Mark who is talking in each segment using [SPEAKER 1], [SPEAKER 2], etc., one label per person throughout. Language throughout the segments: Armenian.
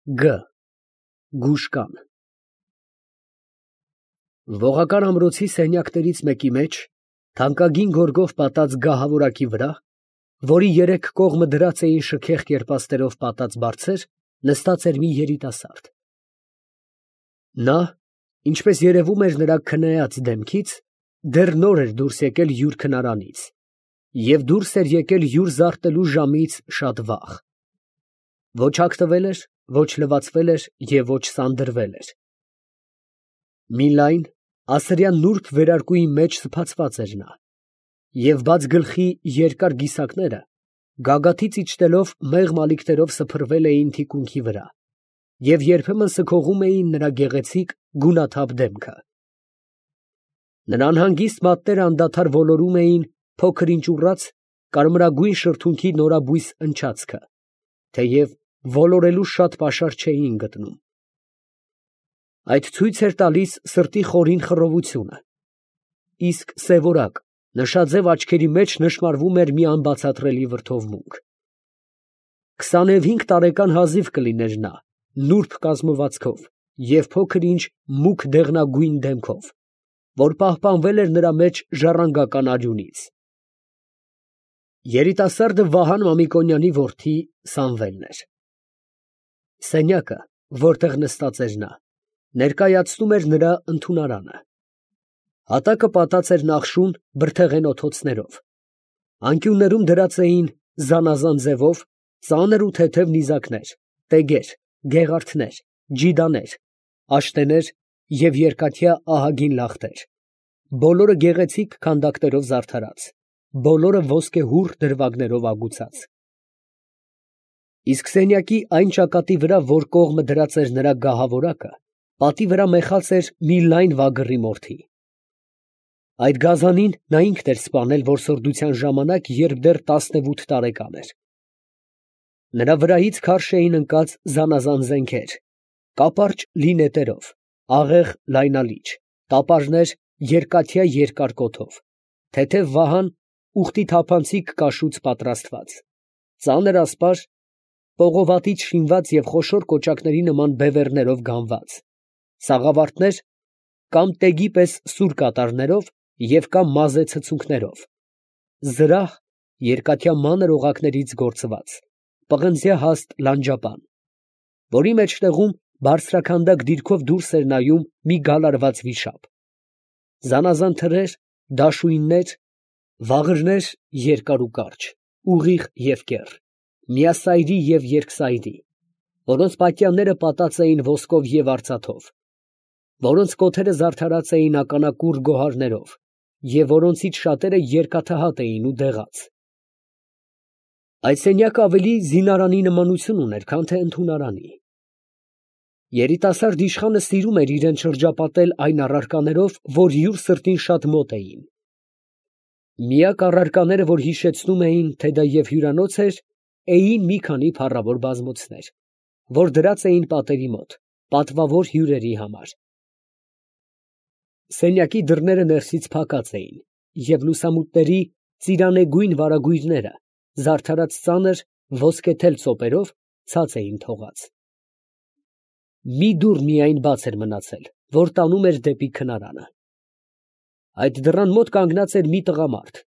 [SPEAKER 1] Գ. Գուշկան։ Ողական ամրոցի սենյակներից մեկի մեջ, թանկագին գորգով պատած գահավորակի վրա, որի երեք կողմը դրած էին շքեղ կերպաստերով պատած բարձեր, նստած էր մի երիտասարդ։ Նա, ինչպես երևում էր նրա քնեած դեմքից, դեռ նոր էր դուրս եկել յուր քնարանից և դուրս էր եկել յուր զարտելու ժամից շատ վաղ։ Ոչ հագնվել էր, ոչ լվացվել էր և ոչ սանդրվել էր։ Մի լայն, ասրյան նուրբ վերարկուի մեջ սփացված էր նա, և բաց գլխի երկար գիսակները գագաթից իջնելով մեղմ ալիքներով սփռվել էին թիկունքի վրա և երբեմն սքողում էին նրա գեղեցիկ, գունաթափ դեմքը։ Նրա անհանգիստ մատները անդադար ոլորում էին փոքր ինչ ուռած, կարմրագույն շրթունքի նորաբույս ընչացքը, թեև ոլորելու շատ պաշար չէին գտնում։ Այդ ցույց էր տալիս սրտի խորին խռովությունը, իսկ սևորակ, նշաձև աչքերի մեջ նշմարվում էր մի անբացատրելի վրդովմունք։ 25 տարեկան հազիվ կլիներ նա, նուրբ կազմվածքով և փոքր ինչ մուգ դեղնագույն դեմքով, որ պահպանվել էր նրա մեջ ժառանգական արյունից։ Երիտասարդը Վահան Մամիկոնյանի որդի Սամվելն էր։ Սենյակը, որտեղ նստած էր նա, ներկայացնում էր նրա ընդունարանը։ Հատակը պատած էր նախշուն բրդեղեն օթոցներով, անկյուններում դրած էին զանազան ձևով ծանր ու թեթև նիզակներ, տեգեր, գեղարդներ, ջիդաներ, աշտեներ և երկաթյա ահագին լախտեր, բոլորը գեղեցիկ քանդակներով զարդարած, բոլորը ոսկեհուռ դրվագներով ագուցած։ Իսկ սենյակի այն ճակատի վրա, որ կողմը դրած էր նրա գահավորակը, պատի վրա մեխած էր մի լայն վագրի մորթի։ Այդ գազանին նա ինքն էր սպանել որսորդության ժամանակ, երբ դեռ 18 տարեկան էր։ Նրա վրայից քարշ էին ընկած զանազան զենքեր, կապարճ լի նետերով, աղեղ լայնալիճ, տապարներ երկաթյա երկար կոթով, թեթև վահան ուխտի թափանցիկ կաշուց պատրաստված, ծանր ասպար, պողովատից շինված և խոշոր կոճակների նման բևեռներով գանված, սաղավարտներ կամ տեգի պես սուր կատարներով և կամ մազե ցցունքներով, զրահ երկաթյա մանր օղակներից գործված, պղնձյա հաստ լանջապան, որի մեջտեղում բարձրաքանդակ դիրքով դուրս էր նայում մի գալարված վիշապ, զանազան թրեր, դաշույններ, վաղրներ երկար ու կարճ, ուղիղ և կեռ, միասայրի և երկսայրի, որոնց պատյանները պատած էին ոսկով և արծաթով, որոնց կոթերը զարդարած էին ականակուռ գոհարներով և որոնցից շատերը երկաթահատ էին ու դեղաց։ Այդ սենյակը ավելի զինարանի նմանություն ուներ, քան թե ընդունարանի։ Երիտասարդ իշխանը սիրում էր իրան շրջապատել այն առարկաներով, որ յուր սրտին շատ մոտ էին։ Միակ առարկաները, որ հիշեցնում էին, թե դա և հյուրանոց էր, էին մի քանի փառավոր բազմոցներ, որ դրած էին պատերի մոտ, պատվավոր հյուրերի համար։ Սենյակի դռները ներսից փակած էին, և լուսամուտների ծիրանեգույն վարագույրները, զարդարած ծանր ոսկեթել ծոպերով, ցած էին թողած։ Մի դուռ միայն բաց էր մնացել, որ տանում էր դեպի քնարանը։ Այդ դռան մոտ կանգնած էր մի տղամարդ,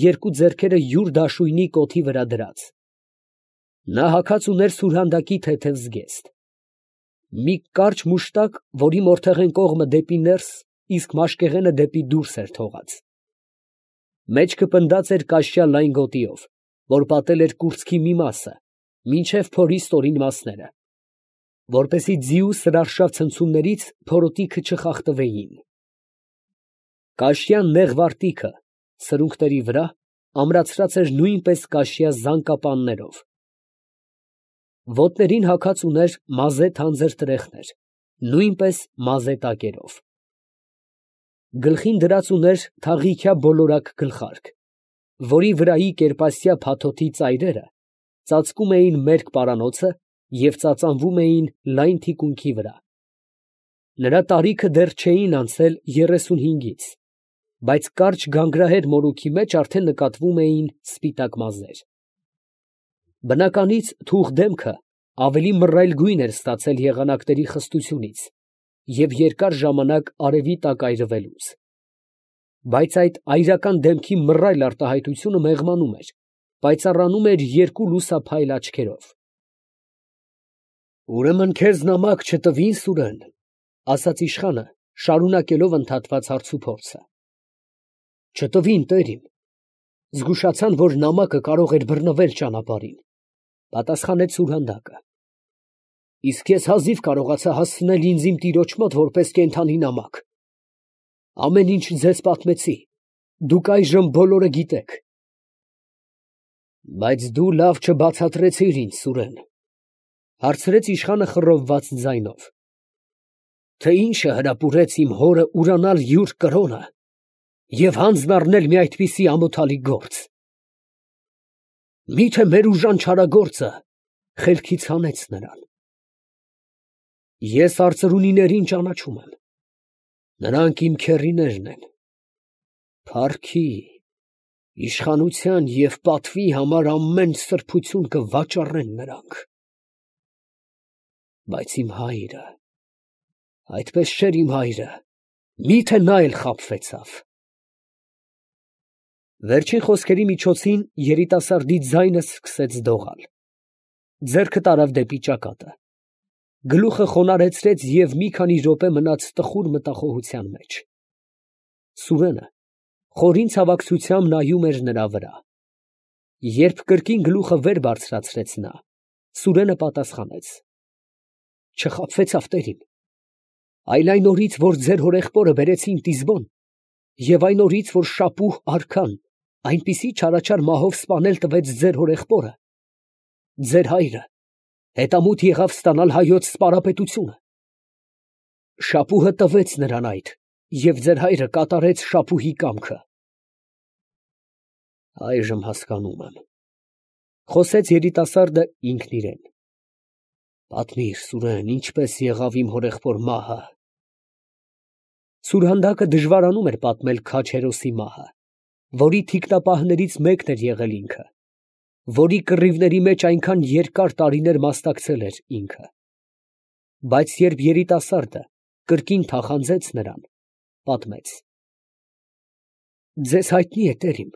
[SPEAKER 1] երկու ձեռքերը յուր դաշույնի կոթի վրա դրած։ Նա հագած ուներ սուրհանդակի թեթև զգեստ, մի կարճ մուշտակ, որի մորթեղեն կողմը դեպի ներս, իսկ մաշկեղենը դեպի դուրս էր թողած։ Մեջքը պնդած էր կաշյա լայն գոտիով, որ պատել էր կուրծքի մի մասը, մինչև փորի ստորին մասները, որպեսզի ձիու սրարշավ ցնցումներից փորոտիքը չխախտվեին։ Կաշյա նեղ վարտիքը սրունքների վրա ամրացրած էր նույնպես կաշյա զանգապաններով։ Ոտներին հագած ուներ մազե թանձր տրեխներ, նույնպես մազե տակերով։ Գլխին դրած ուներ թաղիքյա բոլորակ գլխարկ, որի վրայի կերպասյա փաթոթի ծայրերը ծածկում էին մերկ պարանոցը և ծածանվում էին լայն թիկունքի վրա։ Նրա տարիքը դեռ չէին անցել 35-ից, բայց կարճ գանգրահեր մորուքի մեջ արդեն նկատվում էին սպիտակ մազեր։ Բնականից թուխ դեմքը ավելի մռայլ գույն էր ստացել եղանակների խստությունից և երկար ժամանակ արևի տակ այրվելուց. բայց այդ այրական դեմքի մռայլ արտահայտությունը մեղմանում էր, պայծառանում էր երկու լուսափայլ աչքերով։ «Ուրեմն քեզ նամակ չտվի՞ն, Սուրեն», ֊ ասաց իշխանը, շարունակելով ընդհատված հարցուփորձը։ «Չտվին, տեր իմ. զգուշացան, որ նամակը կարող էր բռնվել ճանապարհին», ֊ պատասխանեց սուրհանդակը։ «Իսկ ես հազիվ կարողացա հասցնել ինձ իմ տիրոջ մոտ որպես կենդանի նամակ։ Ամեն ինչ ձեզ պատմեցի, դուք այժմ բոլորը գիտեք»։ «Բայց դու լավ չբացատրեցիր ինձ, Սուրեն», ֊ հարցրեց իշխանը խռովված ձայնով, «թե ի՞նչը հրապուրեց իմ հորը ուրանալ յուր կրոնը և հանձն առնել մի այդպիսի ամոթալի գործ։ Մի՞թե մեր ուժան չարագործը խելքից հանեց նրան։ Ես արծրունիներին ճանաչում եմ. նրանք իմ քեռիներն են. փառքի, իշխանության և պատվի համար ամեն սրբություն կվաճառեն նրանք։ Բայց իմ հայրը, այդպես չէր իմ հայրը, մի՞թե նա էլ խաբվեցավ»։ Վերջին խոսքերի միջոցին երիտասարդի ձայնը սկսեց դողալ. ձեռքը տարավ դեպի ճակատը, գլուխը խոնարհեցրեց և մի քանի րոպե մնաց տխուր մտախոհության մեջ։ Սուրենը խորին ցավակցությամբ նայում էր նրա վրա։ Երբ կրկին գլուխը վեր բարձրացրեց նա, Սուրենը պատասխանեց. «Չխաբվեցավ, տեր իմ, այլ այն օրից, որ ձեր հորեղբորը բերեցին Տիզբոն, և այն օրից, որ Շապուհ արքան այնպիսի չարաչար մահով սպանել տվեց ձեր հորեղբորը, ձեր հայրը հետամուտ եղավ ստանալ հայոց սպարապետությունը։ Շապուհը տվեց նրան այդ, և ձեր հայրը կատարեց Շապուհի կամքը»։ «Այժմ հասկանում եմ», ֊ խոսեց երիտասարդը ինքն իրեն։ «Պատմիր, Սուրեն, ինչպես եղավ իմ հորեղբոր մահը»։ Սուրհանդակը դժվարանում էր պատմել քաջ հերոսի մահը, որի թիկնապահներից մեկն էր եղել ինքը, որի կռիվների մեջ այնքան երկար տարիներ մասնակցել էր ինքը։ Բայց երբ երիտասարդը կրկին թախանձեց նրան, պատմեց. «Ձեզ հայտնի է, տեր իմ,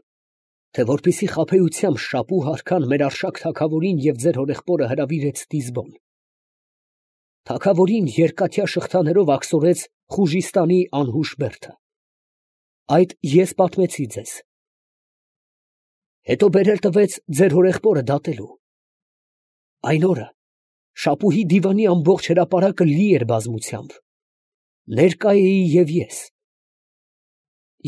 [SPEAKER 1] թե որպեսզի խաբեությամբ Շապուհ արքան մեր արշակ թագավորին և ձեր հորեղբորը հրավիրեց Տիզբոն, թագավորին երկաթյա շղթաներով աքսորեց Խուժիստանի անհուշ բերդը։ Այդ ես պատմեցի ձեզ։ Հետո բերել տվեց ձեր հորեղբորը դատելու։ Այն օրը Շապուհի դիվանի ամբողջ հրապարակը լի էր բազմությամբ, ներկա էի և ես։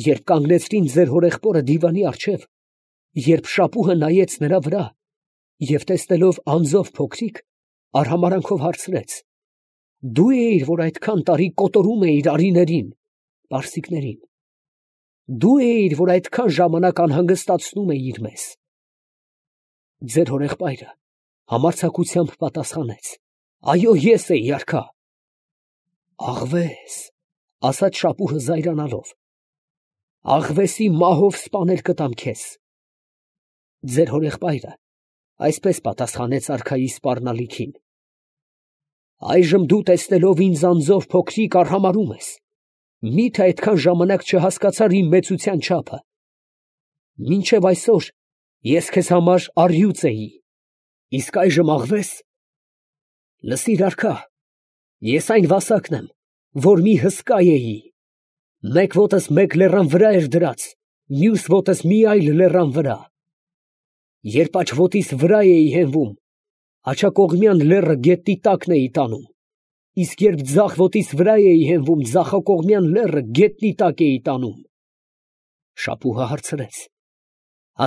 [SPEAKER 1] Երբ կանգնեցրին ձեր հորեղբորը դիվանի առջև, երբ Շապուհը նայեց նրա վրա և տեսնելով անձով փոքրիկ, արհամարհանքով հարցրեց. «Դու էիր, որ այդքան տարի կոտորում էիր արիներին (պարսիկներին)։ Դու էիր, որ այդքան ժամանակ անհանգստացնում էիր մեզ»։ Ձեր հորեղբայրը համարձակությամբ պատասխանեց. «Այո, ես էի, արքա»։ «Աղվես», ֊ ասաց Շապուհը զայրանալով, «աղվեսի մահով սպանել կտամ քեզ»։ Ձեր հորեղբայրը այսպես պատասխանեց արքայի սպառնալիքին. «Այժմ դու տեսնելով ինձ անձով փոքրիկ արհամարհում ես, մի՞թե այդքան ժամանակ չհասկացար իմ մեծության չափը։ Մինչև այսօր ես քեզ համար առյուծ էի, իսկ այժմ աղվես։ Լսիր, արքա, ես այն վասակն եմ, որ մի հսկա էի. մեկ ոտս մեկ լեռան վրա էր դրած, մյուս ոտս մի այլ լեռան վրա։ Երբ աջ ոտիս վրա էի հենվում, աջակողմյան լեռը գետնի տակն էի տանում, իսկ երբ ձախ ոտիս վրա էի հենվում, ձախակողմյան լեռը գետնի տակ էի տանում»։ Շապուհը հարցրեց.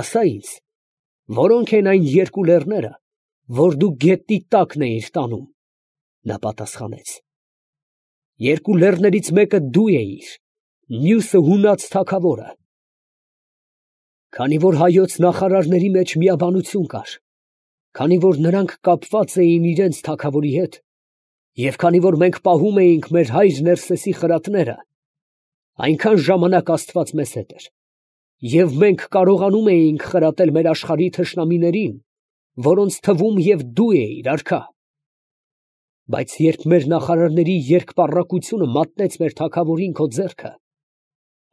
[SPEAKER 1] «Ասա ինձ, որո՞նք են այն երկու լեռները, որ դու գետնի տակն էիր տանում»։ Նա պատասխանեց. «Երկու լեռներից մեկը դու էիր, մյուսը հունած թագավորը։ Քանի որ հայոց նախարարների մեջ միաբանություն կար, քանի որ նրանք կապված էին իրենց թագավորի հետ, և քանի որ մենք պահում էինք մեր հայր Ներսեսի խրատները, այնքան ժամանակ Աստված մեզ հետ էր, և մենք կարողանում էինք խրատել մեր աշխարհի թշնամիներին, որոնց թվում և դու էիր, արքա։ Բայց երբ մեր նախարարների երկպառակությունը մատնեց մեր թագավորին քո ձեռքը,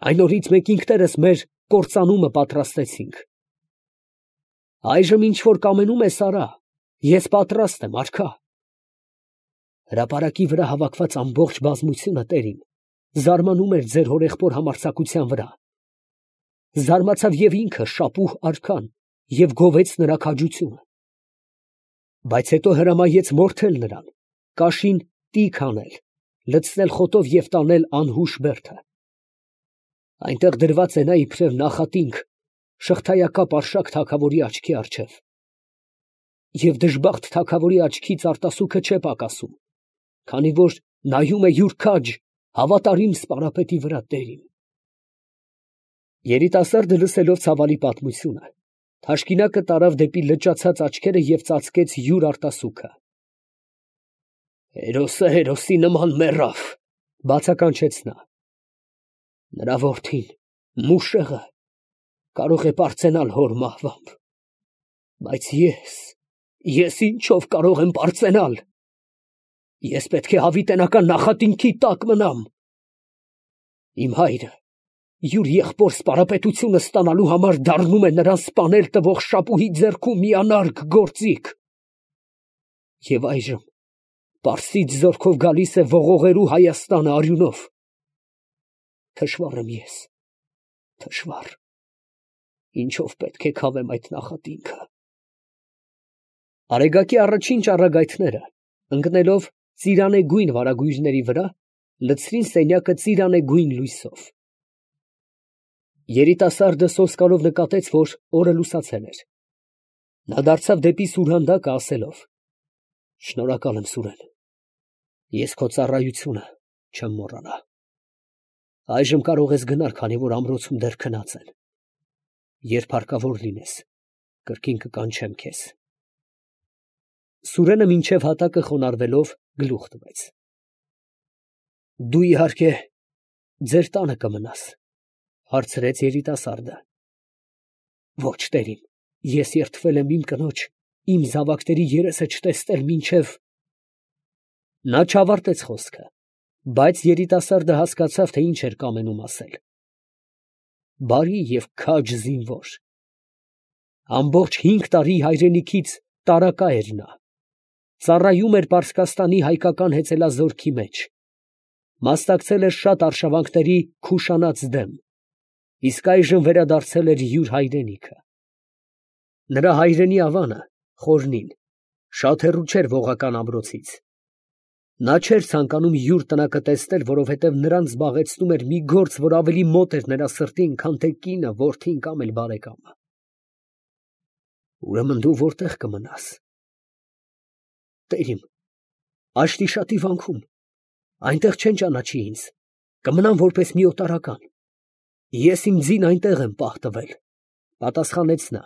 [SPEAKER 1] այն օրից մենք ինքներս մեր կործանումը պատրաստեցինք։ Այժմ ինչ որ կամենում ես արա, ես պատրաստ եմ, արքա։ Հրապարակի վրա հավաքված ամբողջ բազմությունը, տերիմ, զարմանում էր ձեր հորեղբոր համարձակության վրա։ Զարմացավ և ինքը շապուհ արքան և գովեց նրա քաջությունը։ Բայց հետո հրամայեց մորթել նրան, կաշին տիկ անել, լցնել խոտով և տանել անհուշ բերդը։ Այնտեղ դրված է նա իբրև նախատինք, շղթայակապ արշակ թագավորի աչքի առջև։ Եվ դժբախտ թագավորի աչքից արտասուքը չէ պակասում, քանի որ նայում է յուր քաջ, հավատարիմ սպարապետի վրա, տերիմ։ Երիտասարդը լսելով ցավալի պատմությունը, թաշկինակը տարավ դեպի լճացած աչքերը և ծածկեց յուր արտասուքը։ Հերոսը հերոսի նման մեռավ, բացականչեց նա։ Նրա որդին, մուշեղը, կարող է պարծենալ հոր մահվամբ, բայց ես ինչով կարող եմ պարծենալ։ Ես պետք է հավիտենական նախատինքի տակ մնամ։ Իմ հայրը յուր եղբոր սպարապետությունը ստանալու համար դառնում է նրան սպանել տվող շապուհի ձեռքում մի անարգ գործիք։ Եվ այժմ պարսից զորքով գալիս է ողողելու Հայաստանը արյունով։ Թշվառ եմ ես, թշվառ, ինչով պետք է քավեմ այդ նախատինքը։ Արեգակի առաջին ճառագայթները, ընկնելով ծիրանեգույն վարագույրների վրա, լցրին սենյակը ծիրանեգույն լույսով։ Երիտասարդը սոսկալով նկատեց, որ օրը լուսացել էր։ Նա դարձավ դեպի սուրհանդակը, ասելով. Շնորհակալ եմ, Սուրեն, ես քո ծառայությունը չեմ մոռանա։ Այժմ կարող ես գնալ, քանի որ ամրոցում դեռ քնած են։ Երբ հարկավոր լինես, կրկին կկանչեմ քեզ։ Սուրենը մինչև հատակը խոնարհվելով գլուխ տվեց։ Դու իհարկե ձեր տանը կմնաս, հարցրեց երիտասարդը։ Ոչ, տերիմ, ես երդվել եմ իմ կնոջ, իմ զավակների երեսը չտեսնել մինչև… Նա չավարտեց խոսքը, բայց երիտասարդը հասկացավ, թե ինչ էր կամենում ասել։ Բարի և քաջ զինվոր։ Ամբողջ 5 տարի հայրենիքից տարակա էր նա։ Ծառայում էր Պարսկաստանի հայկական հեծելազորքի մեջ։ Մասնակցել էր շատ արշավանքների Քուշանաց դեմ, իսկ այժմ վերադարձել էր յուր հայրենիքը։ Նրա հայրենի ավանը, Խորնին, շատ հեռու չէր Ողական ամրոցից։ Նա չէր ցանկանում յուր տնակը տեսնել, որովհետև նրան զբաղեցնում էր մի գործ, որ ավելի մոտ էր նրա սրտին, քան թե կինը, որդին կամ էլ բարեկամը։ Ուրեմն դու որտեղ կմնաս։ Տերիմ, Աշտիշատի վանքում, այնտեղ չեն ճանաչի ինձ, կմնամ որպես մի օտարական։ Ես իմ ձին այնտեղ եմ պահ տվել, պատասխանեց նա։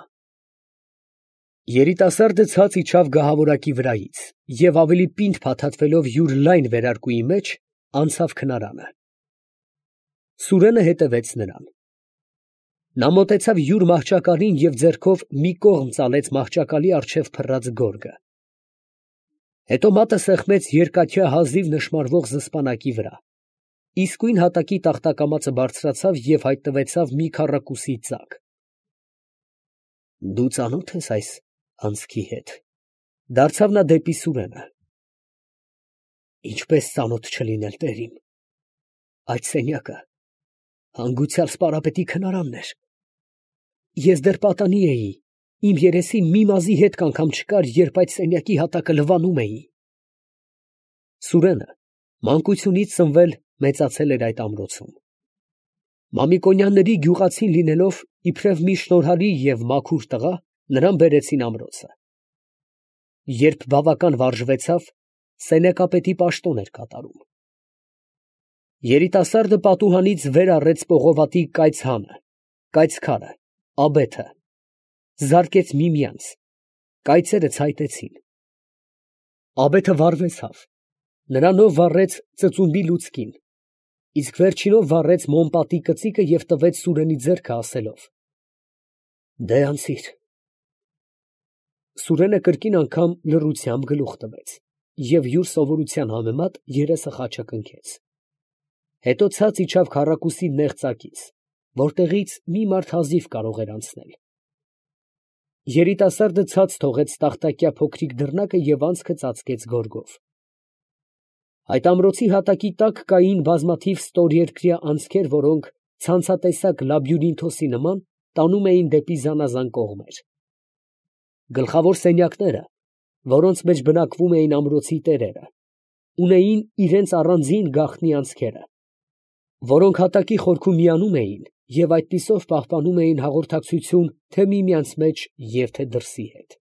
[SPEAKER 1] Երիտասարդը ցած իջավ գահավորակի վրայից և ավելի պինդ փաթաթվելով յուր լայն վերարկուի մեջ, անցավ քնարանը։ Սուրենը հետևեց նրան։ Նա մոտեցավ յուր մահճակալին և ձեռքով մի կողմ ծալեց մահճակալի առջև փռած գորգը։ Հետո մատը սեղմեց երկաթյա հազիվ նշմարվող զսպանակի վրա, իսկույն հատակի տախտակամածը բարձրացավ և հայտնվեցավ մի քառակուսի ծակ։ Դու ծանո՞թ ես այս անցքի հետ, դարձավ նա դեպի Սուրենը։ Ինչպես ծանոթ չլինել, տերիմ, այդ սենյակը հանգուցյալ սպարապետի քնարանն էր։ Ես դեռ պատանի էի, իմ երեսին մի մազի հետք անգամ չկար, երբ այդ սենյակի հատակը լվանում էի։ Սուրենը մանկությունից սնվել մեծացել էր այդ ամրոցում։ Մամիկոնյանների գյուղացին լինելով իբրև մի շնորհալի և մաքուր տղա, նրան բերեցին ամրոցը։ Երբ բավական վարժվեցավ, սենյակապետի պաշտոն էր կատարում։ Երիտասարդը պատուհանից վեր առեց պողովատի կայծհանը, կայծքարը, աբեթը, զարկեց միմյանց, կայծերը ցայտեցին։ Աբեթը վառվեցավ, նրանով վառեց ծծումբի լուցկին, իսկ վերջինով վառեց մոմպատի կծիկը և տվեց Սուրենի ձեռքը, ասելով. Դե անցիր։ Սուրենը կրկին անգամ լռությամբ գլուխ տվեց և յուր սովորության համեմատ երեսը խաչակնքեց. հետո ցած իջավ քառակուսի նեղ ծակից, որտեղից մի մարդ հազիվ կարող էր անցնել. երիտասարդը ցած թողեց տախտակյա փոքրիկ դռնակը և անցքը ծածկեց գորգով։ Այդ ամրոցի հատակի տակ կային բազմաթիվ ստորերկրյա անցքեր, որոնք ցանցատեսակ լաբյուրինթոսի նման տանում էին դեպի զանազան կողմեր։ Գլխավոր սենյակները, որոնց մեջ բնակվում էին ամրոցի տերերը, ունեին իրենց առանձին գաղտնի անցքերը, որոնք հատակի խորքում միանում էին և այդպիսով պահպանում էին հաղորդակցություն թե՛ միմյանց մեջ և թե՛ դրսի հետ։